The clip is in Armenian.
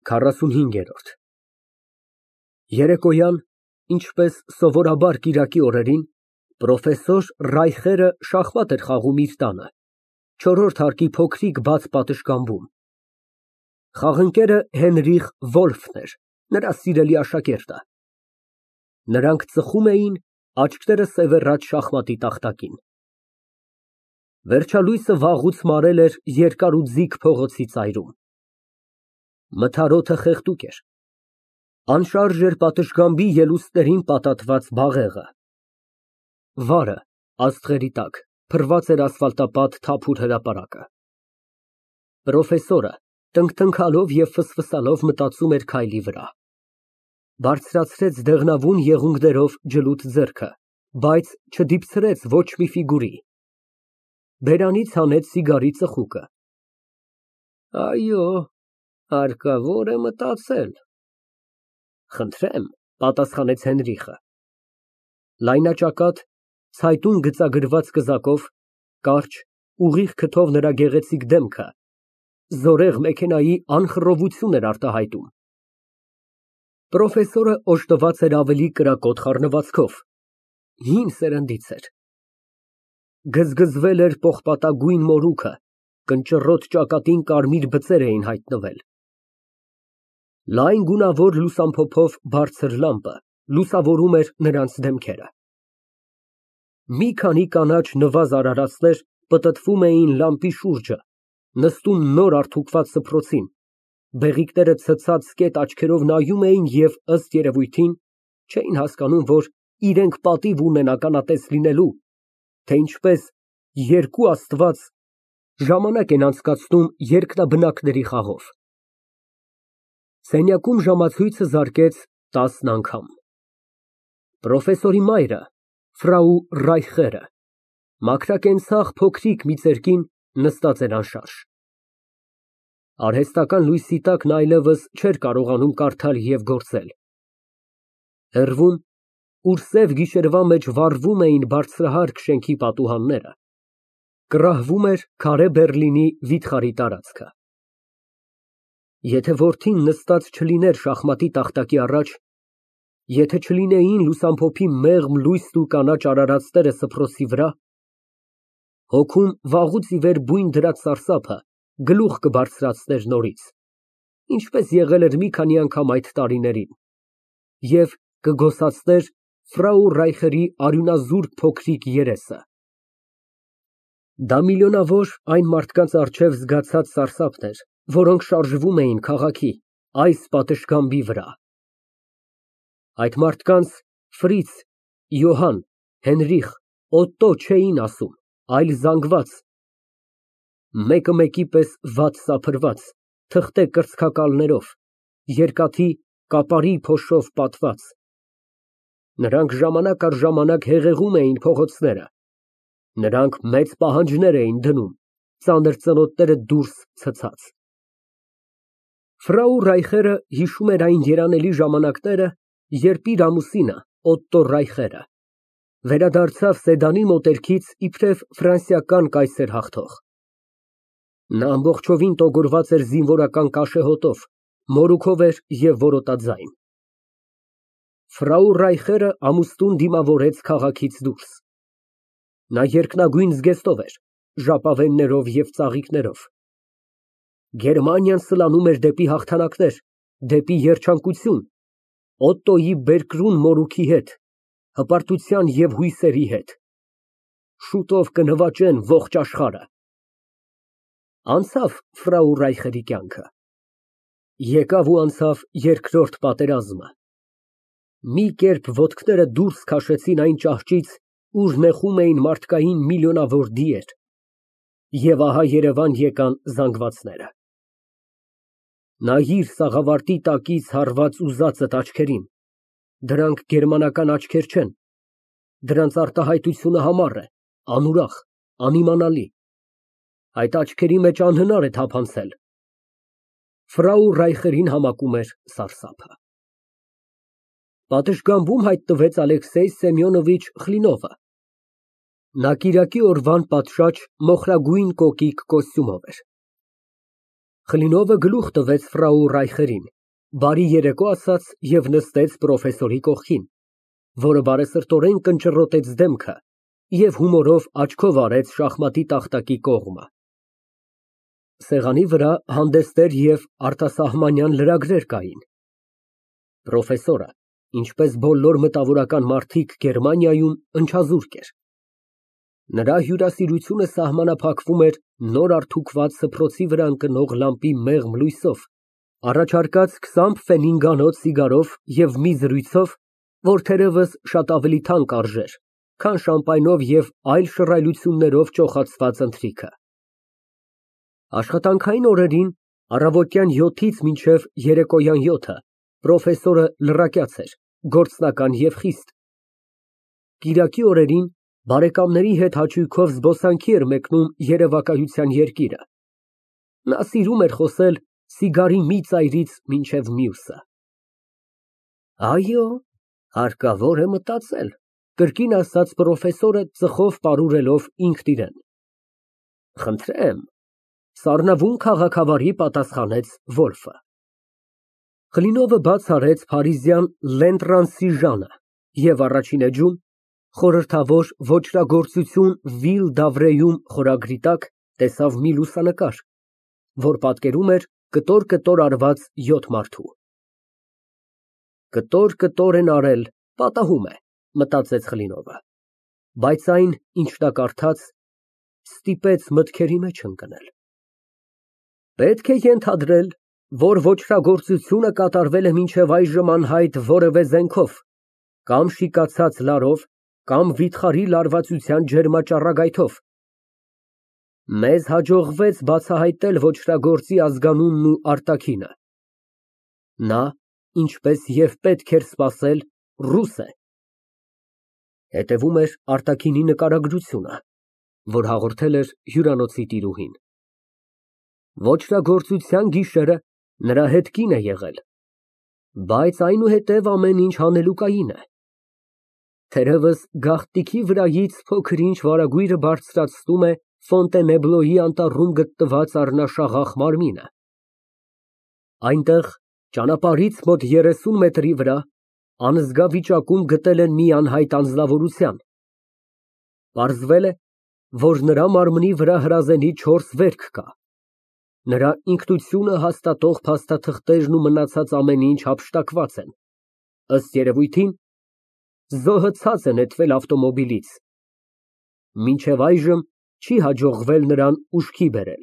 45։ Երեկոյան, ինչպես սովորաբար կիրակի օրերին, պրոֆեսոր Ռայխերը շախմատ էր խաղում իր տանը, չորրորդ հարկի փոքրիկ բաց պատշգամբում։ Խաղընկերը Հենրիխ Վոլֆն էր, նրա սիրելի աշակերտը։ Նրանք ծխում էին, աչքերը սևեռած շախմատի տախտակին։ Վերջալույսը վաղուց մարել էր երկար ու ձիգ փողոցի ծայրում։ Մթարոթը խեղդուկ էր, անշարժ էր պատշգամբի ելուստերին պատատված բաղեղը։ Վարը, աստղերի տակ, փռված էր ասֆալտապատ թափուր հրապարակը։ Պրոֆեսորը տնկտնքալով և ֆսֆսալով մտածում էր քայլի վրա։ Բարձրացրեց դեղնավուն եղունգներով ջլուտ ձեռքը, բայց չդիպցրեց ոչ մի ֆիգուրի։ Բերանից հանեց սիգարի ծխուկը։ Այո, հարկավոր է մտածել։ Խնդրեմ, պատասխանեց Հենրիխը։ Լայնաճակատ, ցայտուն գծագրված կզակով, կարճ, ուղիղ քթով նրա գեղեցիկ դեմքը զորեղ մեքենայի անխռովություն էր արտահայտում։ Պրոֆեսորը օժտված էր ավելի կրակոտ խառնվածքով, հին սերնդից էր։ Գզգզվել էր պողպատագույն մորուքը, կնճռոտ ճակատին կարմիր բծեր էին հայտնվել։ Լայն գունավոր լուսամփոփով բարձր լամպը լուսավորում էր նրանց դեմքերը։ Մի քանի կանաչ նվազ արարածներ պտտվում էին լամպի շուրջը, նստում նոր արդուկված սփռոցին, բեղիկները ցցած կետ աչքերով նայում էին և, ըստ երևույթին, չէին հասկանում, որ իրենք պատիվ ունեն ականատես լինելու, թե ինչպես երկու աստված ժամանակ են անցկացնում երկնաբնակների խաղով։ Սենյակում ժամացույցը զարկեց 10 անգամ։ Պրոֆեսորի մայրը, ֆրау Ռայխերը, մաքրակենցաղ փոքրիկ մի ծերկին, նստած էր անշարժ։ Արհեստական լույսի տակ նա այլևս չէր կարողանում կարդալ և գործել։ Հեռվում, ուր սև գիշերվա մեջ վառվում էին բարձրահարկ շենքի պատուհանները, կռահվում էր քարե Բեռլինի վիթխարի տարածքը։ Եթե որդին նստած չլիներ շախմատի տախտակի առաջ, եթե չլինեին լուսամփոփի մեղմ լույսն ու կանաչ արարածները սփռոցի վրա, հոգում վաղուց ի վեր բույն դրած սարսափը գլուխ կբարձրացներ նորից, ինչպես եղել էր մի քանի անգամ այդ տարիներին, և կգոսացներ ֆրау Ռայխերի արյունազուրկ փոքրիկ երեսը։ Դա միլիոնավոր այն մարդկանց առջև զգացած սարսափն էր, որոնք շարժվում էին քաղաքի, այս պատշգամբի վրա։ Այդ մարդկանց Ֆրից, Յոհան, Հենրիխ, Օտտո չէին ասում, այլ զանգված, մեկը մեկի պես վատ սափրված, թղթե կրծքակալներով, երկաթի կապարի փոշով պատված։ Նրանք ժամանակ առ ժամանակ հեղեղում էին փողոցները, նրանք մեծ պահանջներ էին դնում, ծանր ծնոտները դուրս ցցած։ Ֆրау Ռայխերը հիշում էր այն երանելի ժամանակները, երբ իր ամուսինը, Օտտո Ռայխերը, վերադարձավ Սեդանի մոտերքից իբրև ֆրանսիական կայսեր հաղթող։ Նա ամբողջովին տոգորված էր զինվորական կաշեհոտով, մորուքով էր և որոտաձայն։ Ֆրау Ռայխերը ամուսնուն դիմավորեց քաղաքից դուրս։ Նա երկնագույն զգեստով էր, ժապավեններով և ծաղիկներով։ Գերմանիան սլանում էր դեպի հաղթանակներ, դեպի երջանկություն, Օտտոյի բերկրուն մորուքի հետ, հպարտության և հույսերի հետ։ Շուտով կնվաճեն ողջ աշխարհը։ Անցավ ֆրау Ռայխերի կյանքը։ Եկավ ու անցավ երկրորդ պատերազմը։ Մի կերպ ոտքները դուրս քաշեցին այն ճահճից, ուր նեխում էին մարդկային միլիոնավոր դիեր։ Եվ ահա Երևան եկան զանգվածները։ Նայիր սաղավարտի տակից հառված ուզածդ աչքերին, դրանք գերմանական աչքեր չեն, դրանց արտահայտությունը համառ է, անուրախ, անիմանալի, այդ աչքերի մեջ անհնար է թափանցել։ Ֆրау Ռայխերին համակում էր սարսափը։ Պատշգամբում հայտնվեց Ալեքսեյ Սեմյոնովիչ Խլինովը։ Նա կիրակի օրվան պատշաճ մոխրագույն կոկիկ կոստյումով էր։ Խլինովը գլուխ տվեց ֆրау Ռայխերին, բարի երեկո ասաց և նստեց պրոֆեսորի կողքին, որը բարեսրտորեն կնճռոտեց դեմքը և հումորով աչքով արեց շախմատի տախտակի կողմը։ Սեղանի վրա հանդեստեր և արտասահմանյան լրագրեր կային։ Պրոֆեսորը, ինչպես բոլոր մտավորական մարդիկ Գերմանիայում, ընչազուրկ էր։ Նրա հյուրասիրությունը սահմանափակվում էր նոր արդուկված սփռոցի վրա ընկնող լամպի մեղմ լույսով, առաջարկած 20 ֆենինգանոց սիգարով և մի զրույցով, որ թերևս շատ ավելի թանկ արժեր, քան շամպայնով և այլ շռայլություններով ճոխացված ընթրիքը։ Աշխատանքային օրերին առավոտյան 7-ից մինչև երեկոյան 7-ը պրոֆեսորը լրակյաց էր, գործնական և խիստ։ Կիրակի օրերին բարեկամների հետ հաճույքով զբոսանքի էր մեկնում երևակայության երկիրը։ Նա սիրում էր խոսել սիգարի մի ծայրից մինչև մյուսը։ Այո, հարկավոր է մտածել, կրկին ասաց պրոֆեսորը ծխով պարուրելով ինքն իրեն։ Խնդրեմ, սառնավուն քաղաքավարի պատասխանեց Վոլֆը։ Խլինովը բաց արեց փարիզյան Լենտրանսիժանը և առաջին էջում խորհրդավոր ոճրագործություն Վիլ Դավրեյում խորագրի տակ տեսավ մի լուսանկար, որ պատկերում էր կտոր արված 7 մարդու։ Կտոր են արել, պատահում է, մտածեց Խլինովը, բայց այն, ինչ նա կարդաց, ստիպեց մտքերի մեջ ընկնել։ Պետք է ենթադրել, որ ոճրագործությունը կատարվել է մինչև այժմ անհայտ որևէ զենքով, կամ շիկացած լարով, կամ վիթխարի լարվածության ջերմաճառագայթով։ Մեզ հաջողվեց բացահայտել ոճրագործի ազգանունն ու արտաքինը։ Նա, ինչպես և պետք էր սպասել, ռուս է։ Հետևում էր արտաքինի նկարագրությունը, որ հաղորդել էր հյուրանոցի տիրուհին։ Ոճրագործության գիշերը նրա հետ կին է եղել, բայց այնուհետև ամեն ինչ հանելուկային է։ Թերևս գաղտնիքի վրայից փոքր-ինչ վարագույրը բարձրացնում է Ֆոնտենեբլոյի անտառում գտնված առնաշաղախ մարմինը։ Այնտեղ, ճանապարհից մոտ 30 մետրի վրա, անզգա վիճակում գտել են մի անհայտ անձնավորության։ Պարզվել է, որ նրա մարմնի վրա հրազենի 4 վերք կա։ Նրա ինքնությունը հաստատող փաստաթղթերն ու մնացած ամեն ինչ հափշտակված են։ Ըստ երևույթին, զոհը ցած է նետվել ավտոմոբիլից։ Մինչև այժմ չի հաջողվել նրան ուշքի բերել։